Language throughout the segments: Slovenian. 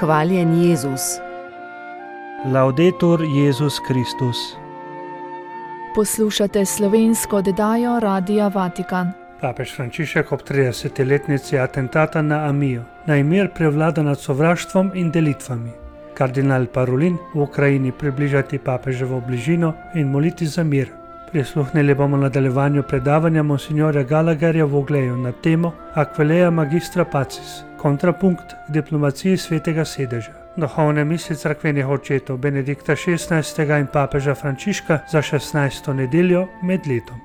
Hvaljen Jezus. Laudetur Jezus Kristus. Poslušate slovensko oddajo Radia Vatikan. Papež Frančišek ob 30-letnici atentata na Amijo naj mir prevlada nad sovraštvom in delitvami. Kardinal Parolin v Ukrajini približati papeževo bližino in moliti za mir. Prisluhnili bomo nadaljevanju predavanja monsinjorja Gallagherja v Ogleju na temo Aquileia Magistra Pacis, kontrapunkt k diplomaciji svetega sedeža. Duhovne misli cerkvenih očetov Benedikta XVI. In papeža Frančiška za 16. nedeljo med letom.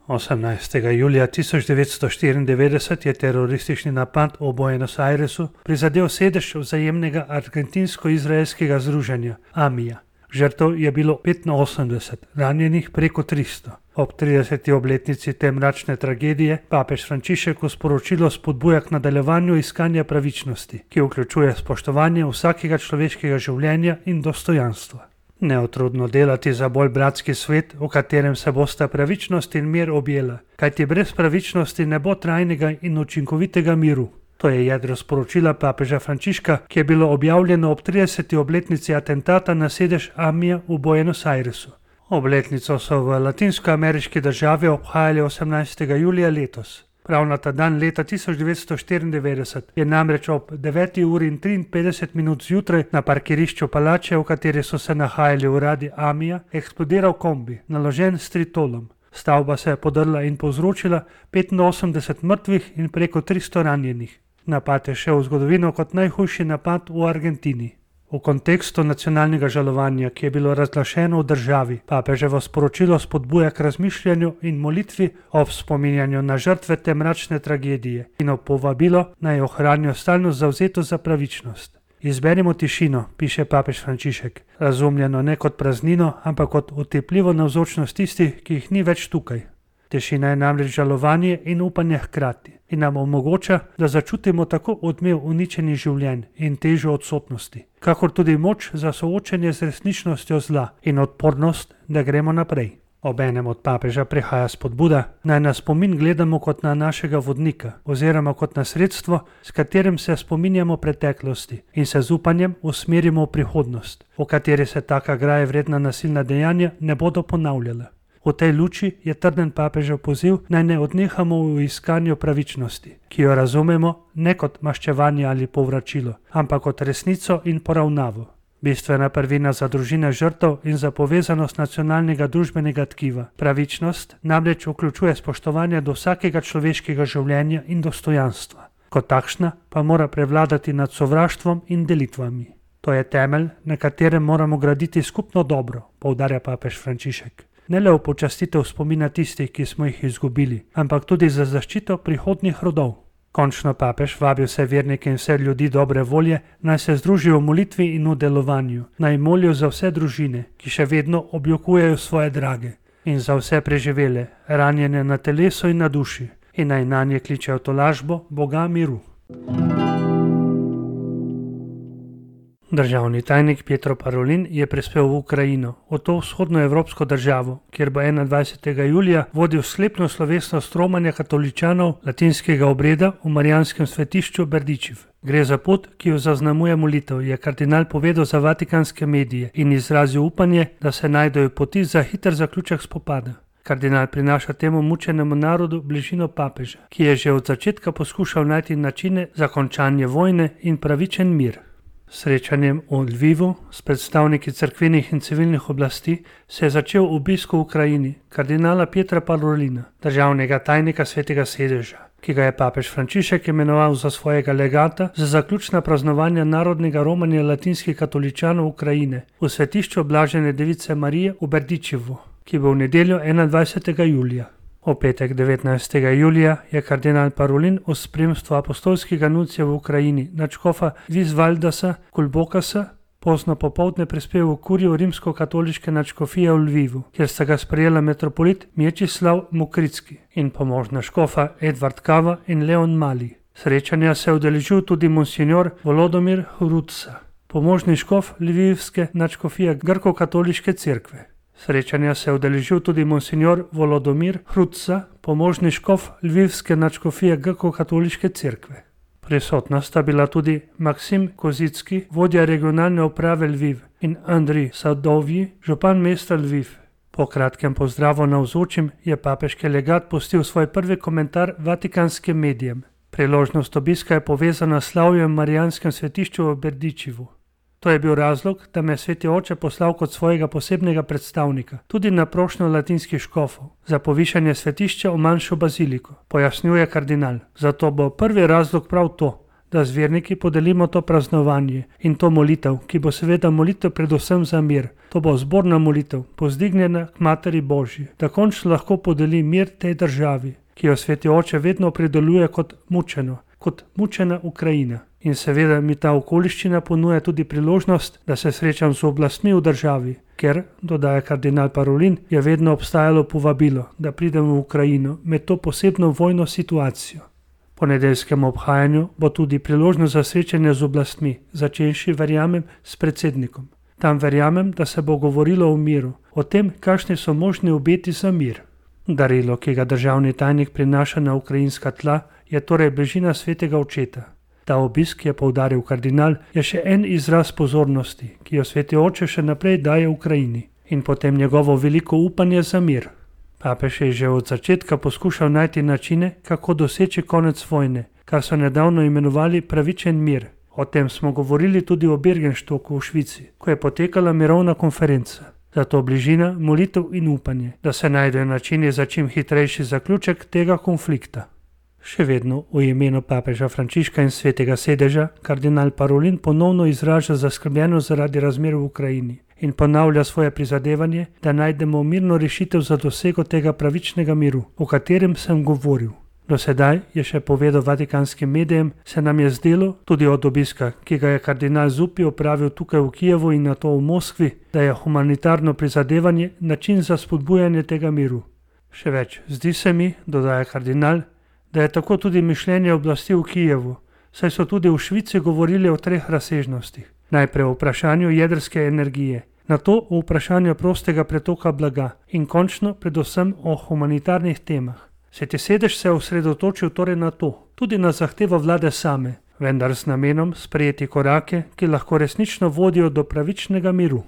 18. julija 1994 je teroristični napad v Buenos Airesu prizadel sedež vzajemnega argentinsko-izraelskega združenja Amija. Žrtev je bilo 85, ranjenih preko 300. Ob 30. obletnici te mračne tragedije papež Frančišek v sporočilu spodbuja k nadaljevanju iskanja pravičnosti, ki vključuje spoštovanje vsakega človeškega življenja in dostojanstva. Neutrudno delati za bolj bratski svet, v katerem se bosta pravičnost in mir objela, kajti brez pravičnosti ne bo trajnega in učinkovitega miru. To je jedro sporočila papeža Frančiška, ki je bilo objavljeno ob 30. obletnici atentata na sedež Amija v Buenos Airesu. Obletnico so v latinskoameriški državi obhajali 18. julija letos. Prav na ta dan leta 1994 je namreč ob 9. uri in 53 minut zjutraj na parkirišču palače, v kateri so se nahajali uradi Amija, eksplodiral kombi, naložen s tritolom. Stavba se je podrla in povzročila 85 mrtvih in preko 300 ranjenih. Napad je šel v zgodovino kot najhujši napad v Argentini. V kontekstu nacionalnega žalovanja, ki je bilo razglašeno v državi, papeževo sporočilo spodbuja k razmišljanju in molitvi ob spominjanju na žrtve te mračne tragedije in ob povabilo naj ohranijo stalno zavzetost za pravičnost. Izberimo tišino, piše papež Frančišek, razumljeno ne kot praznino, ampak kot utepljivo navzočnost tistih, ki jih ni več tukaj. Tišina je namreč žalovanje in upanje hkrati in nam omogoča, da začutimo tako odmev uničenih življenj in težo odsotnosti, kakor tudi moč za soočenje z resničnostjo zla in odpornost, da gremo naprej. Obenem od papeža prihaja spodbuda, naj na spomin gledamo kot na našega vodnika oziroma kot na sredstvo, s katerim se spominjamo preteklosti in se z upanjem usmerimo v prihodnost, v kateri se taka graje vredna nasilna dejanja ne bodo ponavljala. V tej luči je trden papežev poziv, naj ne odnehamo v iskanju pravičnosti, ki jo razumemo ne kot maščevanje ali povračilo, ampak kot resnico in poravnavo. Bistvena prvina za družine žrtev in za povezanost nacionalnega družbenega tkiva. Pravičnost namreč vključuje spoštovanje do vsakega človeškega življenja in dostojanstva. Kot takšna pa mora prevladati nad sovraštvom in delitvami. To je temelj, na katerem moramo graditi skupno dobro, poudarja papež Frančišek. Ne le v počastitev spomina tistih, ki smo jih izgubili, ampak tudi za zaščito prihodnjih rodov. Končno papež vabi vse vernike in vse ljudi dobre volje, naj se združijo v molitvi in v delovanju, naj molijo za vse družine, ki še vedno objokujejo svoje drage, in za vse preživele, ranjene na telesu in na duši, in naj nanje kličejo tolažbo Boga miru. Državni tajnik Pietro Parolin je prispel v Ukrajino, v to vzhodnoevropsko državo, kjer bo 21. julija vodil sklepno slovesnost romanja katoličanov latinskega obreda v marijanskem svetišču Berdičev. Gre za pot, ki jo zaznamuje molitev, je kardinal povedal za vatikanske medije in izrazil upanje, da se najdejo poti za hiter zaključek spopada. Kardinal prinaša temu mučenemu narodu bližino papeža, ki je že od začetka poskušal najti načine za končanje vojne in pravičen mir. Srečanjem v Lvivu s predstavniki cerkvenih in civilnih oblasti se je začel obisk v Ukrajini kardinala Pietra Parolina, državnega tajnika svetega sedeža, ki ga je papež Frančišek imenoval za svojega legata za zaključna praznovanja narodnega romanja latinskih katoličanov Ukrajine v svetišču Blažene device Marije v Berdičevu, ki bo v nedeljo 21. julija. V petek 19. julija je kardinal Parolin v spremstvu apostolskega nuncija v Ukrajini nadškofa Visvaldasa Kulbokasa pozno popoldne prispel v kurijo rimsko-katoliške nadškofije v Lvivu, kjer sta ga sprejela metropolit Mječislav Mokritski in pomožna škofa Edvard Kava in Leon Mali. Srečanja se je udeležil tudi monsinjor Volodomir Hrutsa, pomožni škof Lvivske nadškofije grko-katoliške cerkve. Srečanja se je udeležil tudi monsinjor Volodomir Hrutsa, pomožni škof Lvivske nadškofije grko-katoliške cerkve. Prisotna sta bila tudi Maksim Kozicki, vodja regionalne uprave Lviv, in Andrij Sadovji, župan mesta Lviv. Po kratkem pozdravu navzočim je papeški legat pustil svoj prvi komentar vatikanskim medijem. Priložnost obiska je povezana s slavjem Marijanskem svetišču v Berdičevu. To je bil razlog, da me je sveti oče poslal kot svojega posebnega predstavnika, tudi na prošnjo latinskih škofov, za povišanje svetišča v manjšo baziliko, pojasnjuje kardinal. Zato bo prvi razlog prav to, da z verniki podelimo to praznovanje in to molitev, ki bo seveda molitev predvsem za mir. To bo zborna molitev, povzdignjena k Materi Božji, da končno lahko podeli mir tej državi, ki jo sveti oče vedno opredeljuje kot mučena Ukrajina. In seveda mi ta okoliščina ponuja tudi priložnost, da se srečam z oblastmi v državi, ker, dodaja kardinal Parolin, je vedno obstajalo povabilo, da pridem v Ukrajino med to posebno vojno situacijo. Po nedeljskem obhajanju bo tudi priložnost za srečanje z oblastmi, začenši, verjamem, s predsednikom. Tam verjamem, da se bo govorilo o miru, o tem, kakšni so možni obeti za mir. Darilo, ki ga državni tajnik prinaša na ukrajinska tla, je torej bližina svetega očeta. Ta obisk, je poudaril kardinal, je še en izraz pozornosti, ki jo sveti oče še naprej daje Ukrajini, in potem njegovo veliko upanje za mir. Papež je že od začetka poskušal najti načine, kako doseči konec vojne, kar so nedavno imenovali pravičen mir. O tem smo govorili tudi v Bergenstocku v Švici, ko je potekala mirovna konferenca. Zato bližina, molitev in upanje, da se najdejo načini za čim hitrejši zaključek tega konflikta. Še vedno v imenu papeža Frančiška in svetega sedeža, kardinal Parolin ponovno izraža zaskrbljenost zaradi razmer v Ukrajini in ponavlja svoje prizadevanje, da najdemo mirno rešitev za dosego tega pravičnega miru, o katerem sem govoril. Do sedaj, je še povedal vatikanskim medijem, se nam je zdelo, tudi od obiska, ki ga je kardinal Zuppi opravil tukaj v Kijevu in nato v Moskvi, da je humanitarno prizadevanje način za spodbujanje tega miru. Še več, zdi se mi, dodaja kardinal, da je tako tudi mišljenje oblasti v Kijevu, saj so tudi v Švici govorili o 3 razsežnostih. Najprej o vprašanju jedrske energije, nato o vprašanju prostega pretoka blaga in končno predvsem o humanitarnih temah. Sveti sedež se je osredotočil torej na to, tudi na zahtevo vlade same, vendar z namenom sprejeti korake, ki lahko resnično vodijo do pravičnega miru.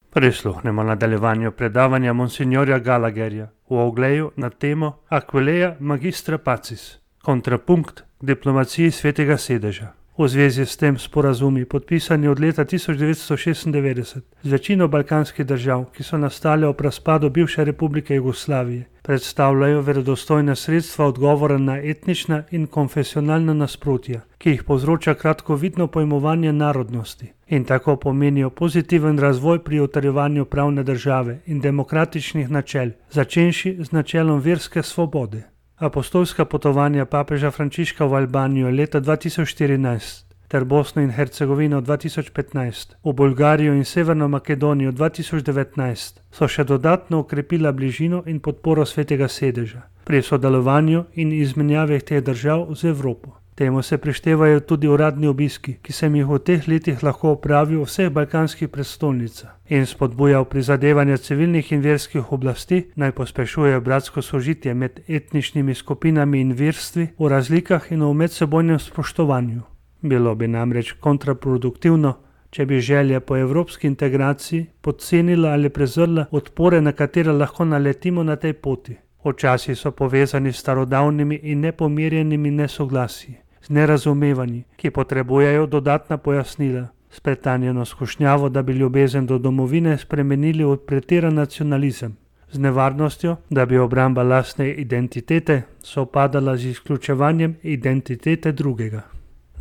Prisluhnemo nadaljevanju predavanja monsignorja Gallagherja v ogledu na temo Aquileia Magistra Pacis, kontrapunkt k diplomaciji svetega sedeža. V zvezi s tem sporazumi, podpisani od leta 1996 z večino balkanskih držav, ki so nastale ob razpadu bivše republike Jugoslavije, predstavljajo verodostojna sredstva odgovora na etnična in konfesionalna nasprotja, ki jih povzroča kratkovidno pojmovanje narodnosti in tako pomenijo pozitiven razvoj pri utrjevanju pravne države in demokratičnih načel, začenši z načelom verske svobode. Apostolska potovanja papeža Frančiška v Albanijo leta 2014 ter Bosno in Hercegovino 2015, v Bolgarijo in Severno Makedonijo 2019 so še dodatno okrepila bližino in podporo svetega sedeža pri sodelovanju in izmenjavi teh držav z Evropo. Temu se prištevajo tudi uradni obiski, ki se jih v teh letih lahko opravijo v vseh balkanskih prestolnicah in spodbuja prizadevanja civilnih in verskih oblasti, naj pospešujejo bratsko sožitje med etničnimi skupinami in verstvi v razlikah in v medsebojnem spoštovanju. Bilo bi namreč kontraproduktivno, če bi želja po evropski integraciji podcenila ali prezrla odpore, na katere lahko naletimo na tej poti. Včasih so povezani s starodavnimi in nepomirjenimi nesoglasji, z nerazumevanji, ki potrebujejo dodatna pojasnila, s pretanjeno skušnjavo, da bi ljubezen do domovine spremenili v pretiran nacionalizem, z nevarnostjo, da bi obramba lastne identitete sovpadala z izključevanjem identitete drugega.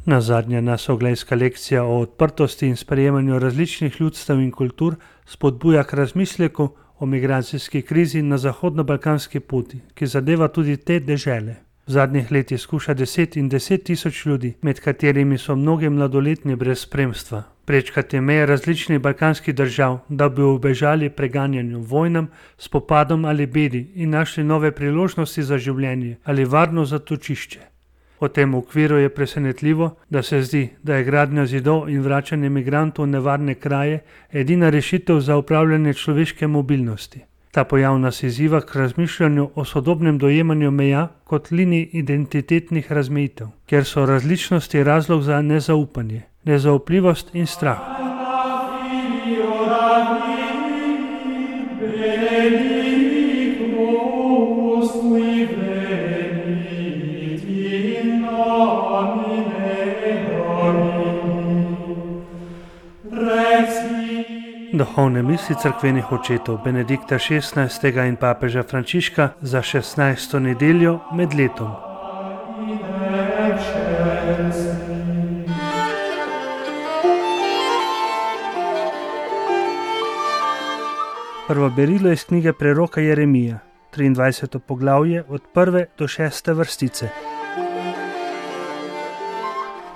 Nazadnja nasoglejska lekcija o odprtosti in sprejemanju različnih ljudstev in kultur spodbuja k razmisleku o migracijski krizi na zahodno-balkanski poti, ki zadeva tudi te dežele. V zadnjih letih skuša 10 in 10 tisoč ljudi, med katerimi so mnogi mladoletni brez spremstva, prečkati meje različnih balkanskih držav, da bi ubežali preganjanju, vojnam, spopadom ali bedi in našli nove priložnosti za življenje ali varno zatočišče. V tem okviru je presenetljivo, da se zdi, da je gradnja zidov in vračanje migrantov v nevarne kraje edina rešitev za upravljanje človeške mobilnosti. Ta pojav nas izziva k razmišljanju o sodobnem dojemanju meja kot linij identitetnih razmejitev, kjer so različnosti razlog za nezaupanje, nezaupljivost in strah. Duhovne misli cerkvenih očetov Benedikta XVI. In papeža Frančiška za 16. nedeljo med letom. Prvo berilo iz knjige preroka Jeremija, 23. poglavje od 1. do 6. vrstice.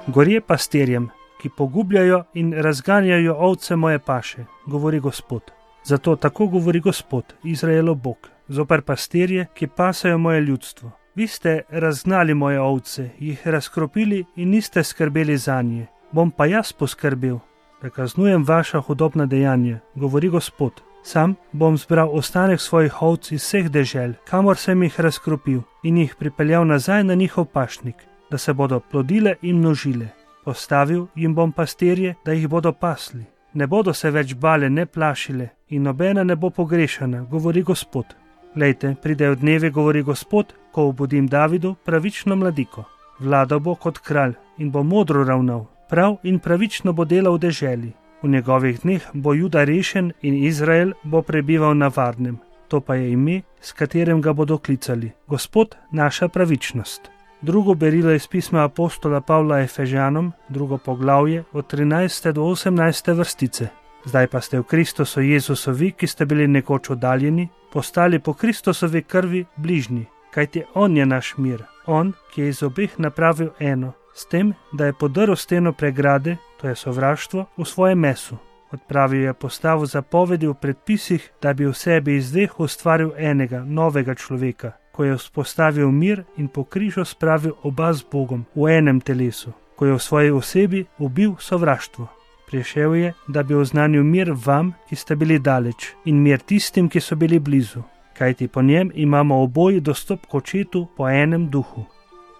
Gorje pastirjem, ki pogubljajo in razganjajo ovce moje paše, govori Gospod. Zato tako govori Gospod, Izraelov Bog, zoper pastirje, ki pasajo moje ljudstvo. Vi ste razgnali moje ovce, jih razkropili in niste skrbeli zanje. Bom pa jaz poskrbel, da kaznujem vaša hudobna dejanja, govori Gospod. Sam bom zbral ostanek svojih ovc iz vseh dežel, kamor sem jih razkropil, in jih pripeljal nazaj na njihov pašnik, da se bodo plodile in množile. Postavil jim bom pastirje, da jih bodo pasli. Ne bodo se več bale, ne plašile in nobena ne bo pogrešana, govori Gospod. Glejte, pridejo dnevi, govori Gospod, ko obudim Davidu pravično mladiko. Vladal bo kot kralj in bo modro ravnal, prav in pravično bo delal v deželi. V njegovih dneh bo Juda rešen in Izrael bo prebival na varnem. To pa je ime, s katerim ga bodo klicali. Gospod, naša pravičnost. Drugo berilo iz pisma apostola Pavla Efežanom, 2. poglavje, od 13. do 18. vrstice. Zdaj pa ste v Kristusu Jezusovi, ki ste bili nekoč oddaljeni, postali po Kristusovi krvi bližnji, kajti On je naš mir. On, ki je iz obeh napravil eno, s tem, da je podrl steno pregrade, to je sovraštvo, v svojem mesu. Odpravil je postavo zapovedi v predpisih, da bi v sebi iz dveh ustvaril enega, novega človeka, ko je vzpostavil mir in po križu spravil oba z Bogom v enem telesu, ko je v svoji osebi ubil sovraštvo. Prišel je, da bi oznanil mir vam, ki ste bili daleč, in mir tistim, ki so bili blizu, kajti po njem imamo oboji dostop k Očetu po enem duhu.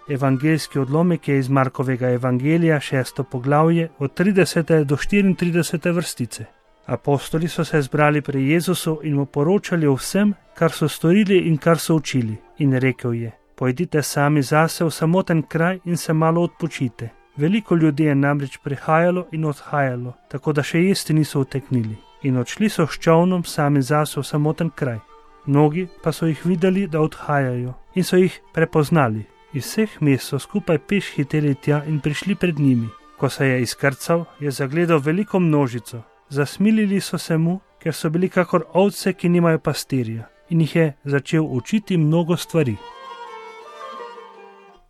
Evangeljski odlomek je iz Markovega evangelija, 6. poglavje, od 30. do 34. vrstice. Apostoli so se zbrali pri Jezusu in mu poročali o vsem, kar so storili in kar so učili. In rekel je: pojdite sami zase v samoten kraj in se malo odpočite. Veliko ljudi je namreč prihajalo in odhajalo, tako da še jesti niso uteknili. In odšli so s čolnom sami zase v samoten kraj. Mnogi pa so jih videli, da odhajajo, in so jih prepoznali. Iz vseh mest so skupaj peš hiteli tja in prišli pred njimi. Ko se je izkrcal, je zagledal veliko množico. Zasmilili so se mu, ker so bili kakor ovce, ki nimajo pastirja, in jih je začel učiti mnogo stvari.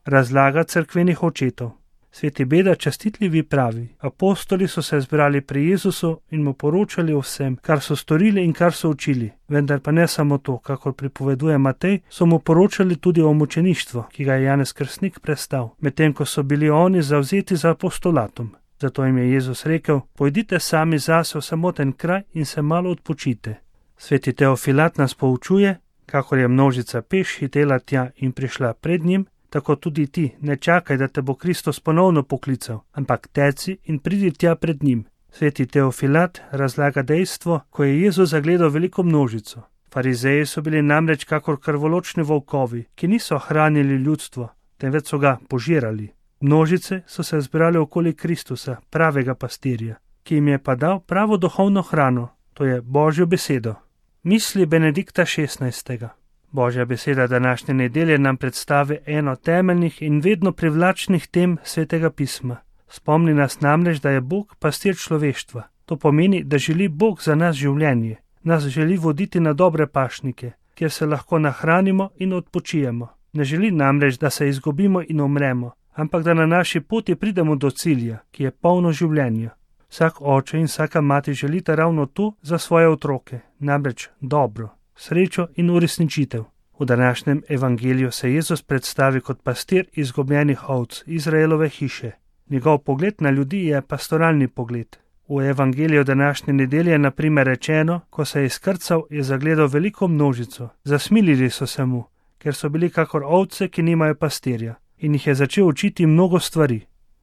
Razlaga cerkvenih očetov. Sveti Beda častitljivi pravi: apostoli so se zbrali pri Jezusu in mu poročali o vsem, kar so storili in kar so učili. Vendar pa ne samo to, kakor pripoveduje Matej, so mu poročali tudi o mučeništvu, ki ga je Janez Krstnik prestal, medtem ko so bili oni zavzeti za apostolatom. Zato jim je Jezus rekel: pojdite sami zase v samoten kraj in se malo odpočite. Sveti Teofilat nas poučuje, kakor je množica peš hitela tja in prišla pred njim, tako tudi ti ne čakaj, da te bo Kristus ponovno poklical, ampak teci in pridi tja pred njim. Sveti Teofilat razlaga dejstvo, ko je Jezus zagledal veliko množico. Farizeji so bili namreč kakor krvoločni volkovi, ki niso hranili ljudstvo, temveč so ga požirali. Množice so se zbrali okoli Kristusa, pravega pastirja, ki jim je pa dal pravo duhovno hrano, to je Božjo besedo. Misli Benedikta XVI. Božja beseda današnje nedelje nam predstavi eno temeljnih in vedno privlačnih tem Svetega pisma. Spomni nas namreč, da je Bog pastir človeštva. To pomeni, da želi Bog za nas življenje. Nas želi voditi na dobre pašnike, kjer se lahko nahranimo in odpočijemo. Ne želi namreč, da se izgubimo in umremo, ampak da na naši poti pridemo do cilja, ki je polno življenja. Vsak oče in vsaka mati želita ravno to za svoje otroke, namreč dobro, srečo in uresničitev. V današnjem evangeliju se Jezus predstavi kot pastir izgubljenih ovc Izraelove hiše. Njegov pogled na ljudi je pastoralni pogled. V evangeliju današnje nedelje je na primer rečeno, ko se je izkrcal, je zagledal veliko množico. Zasmilili so se mu, ker so bili kakor ovce, ki nimajo pastirja, in jih je začel učiti mnogo stvari.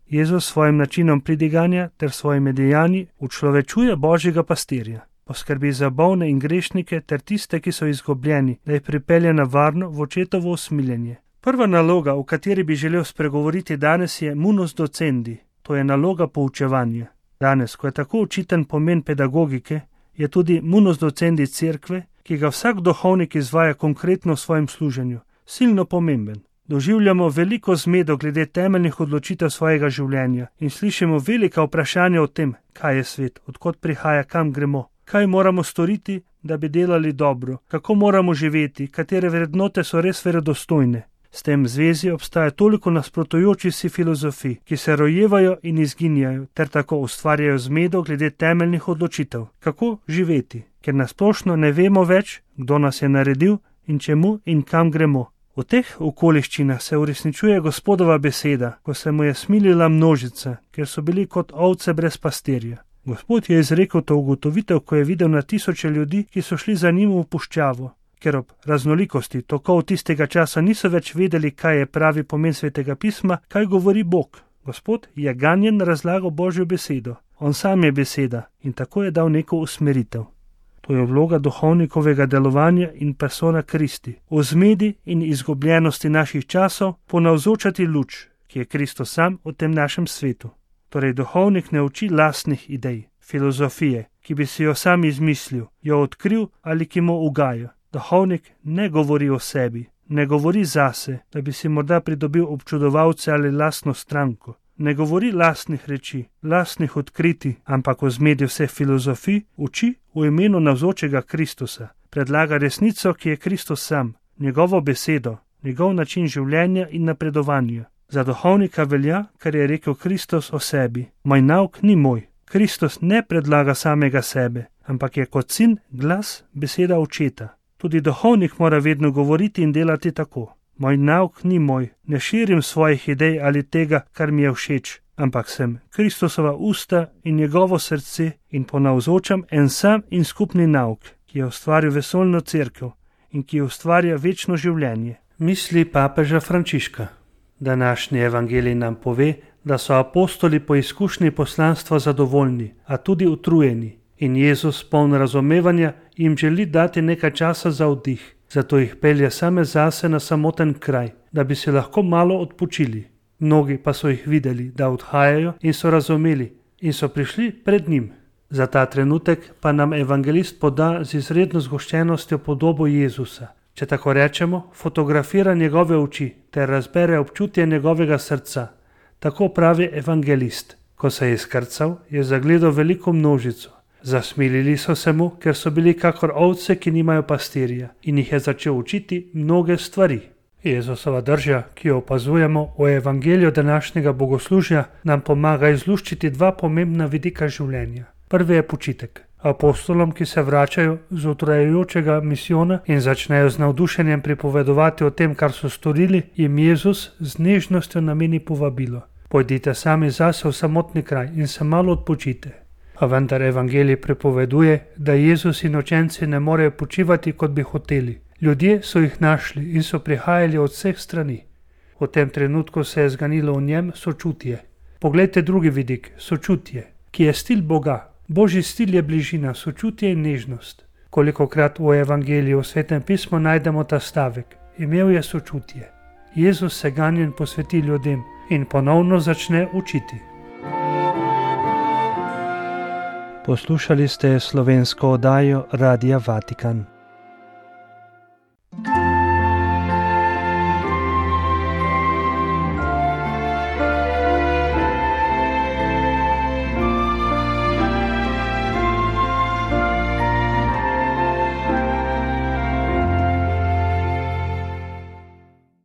Jezus s svojim načinom pridiganja ter svojimi dejanji učlovečuje Božjega pastirja. Poskrbi za bolne in grešnike ter tiste, ki so izgubljeni, da jih pripelje na varno v očetovo usmiljenje. Prva naloga, o kateri bi želel spregovoriti danes, je munus docendi, to je naloga poučevanja. Danes, ko je tako očiten pomen pedagogike, je tudi munus docendi cerkve, ki ga vsak duhovnik izvaja konkretno v svojem služenju, silno pomemben. Doživljamo veliko zmedo glede temeljnih odločitev svojega življenja in slišimo velika vprašanja o tem, kaj je svet, odkot prihaja, kam gremo, kaj moramo storiti, da bi delali dobro, kako moramo živeti, katere vrednote so res verodostojne. S tem v zvezi obstaja toliko nasprotujočih si filozofij, ki se rojevajo in izginjajo, ter tako ustvarjajo zmedo glede temeljnih odločitev, kako živeti, ker nasplošno ne vemo več, kdo nas je naredil in čemu in kam gremo. V teh okoliščinah se uresničuje Gospodova beseda, ko se mu je smilila množica, ker so bili kot ovce brez pastirja. Gospod je izrekel to ugotovitev, ko je videl na tisoče ljudi, ki so šli za njim v puščavo, ker ob raznolikosti tokov tistega časa niso več vedeli, kaj je pravi pomen Svetega pisma, kaj govori Bog. Gospod je ganjen razlagal Božjo besedo. On sam je beseda in tako je dal neko usmeritev. To je vloga duhovnikovega delovanja in persona Kristi. V zmedi in izgubljenosti naših časov ponavzočati luč, ki je Kristus sam v tem našem svetu. Torej duhovnik ne uči lastnih idej, filozofije, ki bi si jo sam izmislil, jo odkril ali ki mu ugaja. Duhovnik ne govori o sebi, ne govori zase, da bi si morda pridobil občudovalce ali lastno stranko. Ne govori lastnih reči, lastnih odkritij, ampak v zmedi vseh filozofij uči v imenu navzočega Kristusa. Predlaga resnico, ki je Kristus sam, njegovo besedo, njegov način življenja in napredovanja. Za duhovnika velja, kar je rekel Kristus o sebi. Moj nauk ni moj. Kristus ne predlaga samega sebe, ampak je kot sin glas beseda očeta. Tudi duhovnik mora vedno govoriti in delati tako. Moj nauk ni moj, ne širim svojih idej ali tega, kar mi je všeč, ampak sem Kristusova usta in njegovo srce in ponavzočam en sam in skupni nauk, ki je ustvaril vesoljno cerkev in ki ustvarja večno življenje. Misli papeža Frančiška. Današnji evangelij nam pove, da so apostoli po izkušnji poslanstva zadovoljni, a tudi utrujeni, in Jezus, poln razumevanja, jim želi dati nekaj časa za oddih. Zato jih pelje same zase na samoten kraj, da bi si lahko malo odpočili. Mnogi pa so jih videli, da odhajajo in so razumeli in so prišli pred njim. Za ta trenutek pa nam evangelist poda z izredno zgoščenostjo podobo Jezusa. Če tako rečemo, fotografira njegove oči ter razbere občutje njegovega srca. Tako pravi evangelist. Ko se je izkrcal, je zagledal veliko množico. Zasmilili so se mu, ker so bili kakor ovce, ki nimajo pastirja, in jih je začel učiti mnoge stvari. Jezusova drža, ki jo opazujemo v evangeliju današnjega bogoslužja, nam pomaga izluščiti dva pomembna vidika življenja. Prvi je počitek. Apostolom, ki se vračajo z utrajajočega misijona in začnejo z navdušenjem pripovedovati o tem, kar so storili, jim Jezus z nežnostjo nameni povabilo. Pojdite sami zase v samotni kraj in se malo odpočite. A vendar evangelij prepoveduje, da Jezus in učenci ne morejo počivati, kot bi hoteli. Ljudje so jih našli in so prihajali od vseh strani. V tem trenutku se je zganilo v njem sočutje. Poglejte drugi vidik, sočutje, ki je stil Boga. Božji stil je bližina, sočutje in nežnost. Kolikokrat v evangeliju v Svetem pismu najdemo ta stavek. Imel je sočutje. Jezus se ganjen posveti ljudem in ponovno začne učiti. Poslušali ste slovensko oddajo Radia Vatikan.